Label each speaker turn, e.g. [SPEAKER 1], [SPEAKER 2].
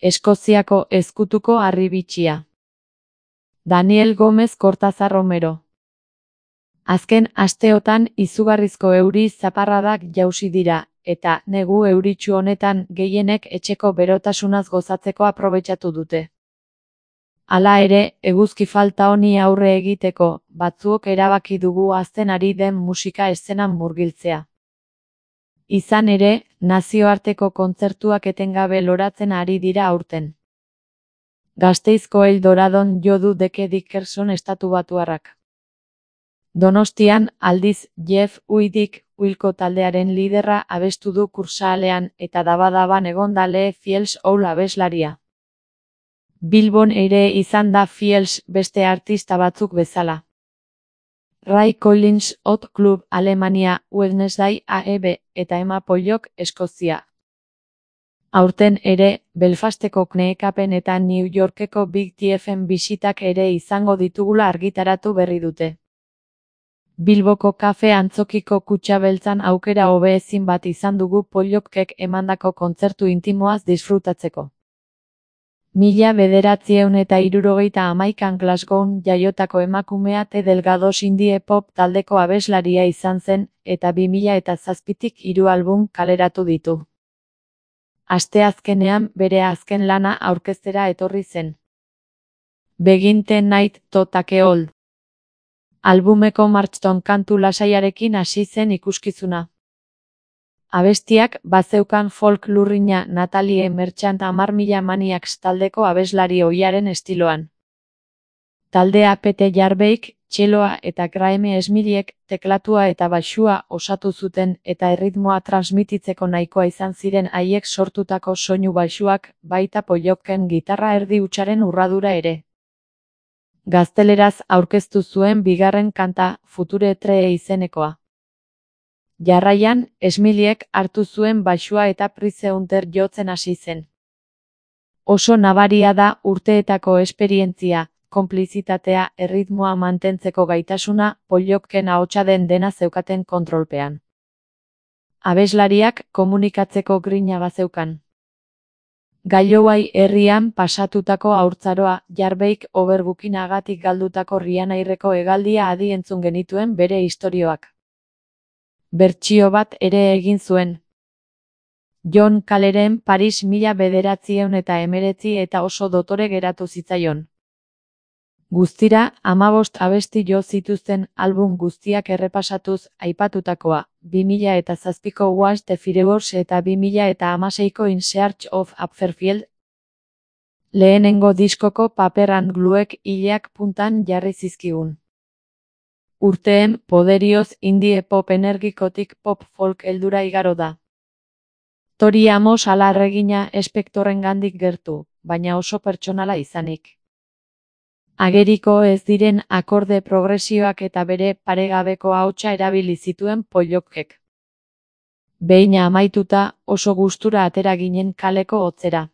[SPEAKER 1] Eskoziako ezkutuko harribitxia. Daniel Gómez Kortazar Romero. Azken asteotan izugarrizko euri zaparradak jausi dira, eta negu euritsu honetan gehienek etxeko berotasunaz gozatzeko aprobetxatu dute. Hala ere, eguzki falta honi aurre egiteko, batzuok erabaki dugu hazten ari den musika eszenan murgiltzea. Izan ere, nazioarteko kontzertuak etengabe loratzen ari dira aurten. Gasteizko El Doradon jo du Deke Dickerson estatubatuarrak. Donostian, aldiz, Jeff Uidik, Wilco taldearen liderra abestu du kursaalean eta daba-daban egon da Lee Fields Owl abeslaria. Bilbon ere izan da Fields beste artista batzuk bezala. Ray Collins Hot Club Alemania, Wednesday AEB eta Emma Pollock Eskozia. Aurten ere, Belfasteko Kneekapen eta New Yorkeko Big TFen bisitak ere izango ditugula argitaratu berri dute. Bilboko kafe antzokiko kutxa beltzan aukera hobeezin bat izan dugu Pollockek emandako kontzertu intimoaz disfrutatzeko. 1971an Glasgown jaiotako emakumea T. Delgados indie pop taldeko abeslaria izan zen, eta 2007tik 3 album kaleratu ditu. Asteazkenean bere azken lana aurkeztera etorri zen. Begin the Night to Take Hold. Albumeko Marchton kantu lasaiarekin hasi zen ikuskizuna. Abestiak bazeukan folk lurrina Natalie Merchant 10.000 Maniacs taldeko abeslari ohiaren estiloan. Taldea Pete Jarbeik, txeloa eta Graeme Smilliek teklatua eta baxua osatu zuten eta erritmoa transmititzeko nahikoa izan ziren haiek sortutako soinu baxuak, baita Pollocken gitarra erdi hutsaren urradura ere. Gazteleraz aurkeztu zuen bigarren kanta, Future Tree izenekoa. Jarraian, Smilliek hartu zuen baxua eta Price Hunter jotzen hasi zen. Oso nabaria da urteetako esperientzia, konplizitatea, erritmoa mantentzeko gaitasuna, Pollocken ahotsa den dena zeukaten kontrolpean. Abeslariak komunikatzeko grina bazeukan. Galloway herrian pasatutako haurtzaroa, Jarbeik Overbookinagatik galdutako Rianairreko hegaldia adi entzun genituen bere istorioak. Bertsio bat ere egin zuen. John Caleren Paris 1919 eta oso dotore geratu zitzaion. Guztira, 15 abesti jo zituzten album guztiak errepasatuz aipatutakoa, 2007ko Was the Fireworks eta 2016ko In Search of Apferfield. Lehenengo diskoko Paper and Gluek ileak puntan jarri zizkigun. Urteen poderioz indie pop energikotik pop folk heldura igaro da. Tori Amos alarregina espektorengandik gertu, baina oso pertsonala izanik. Ageriko ez diren akorde progresioak eta bere paregabeko ahotsa erabili zituen Pollockek. Behin amaituta, oso gustura atera ginen kaleko hotzera.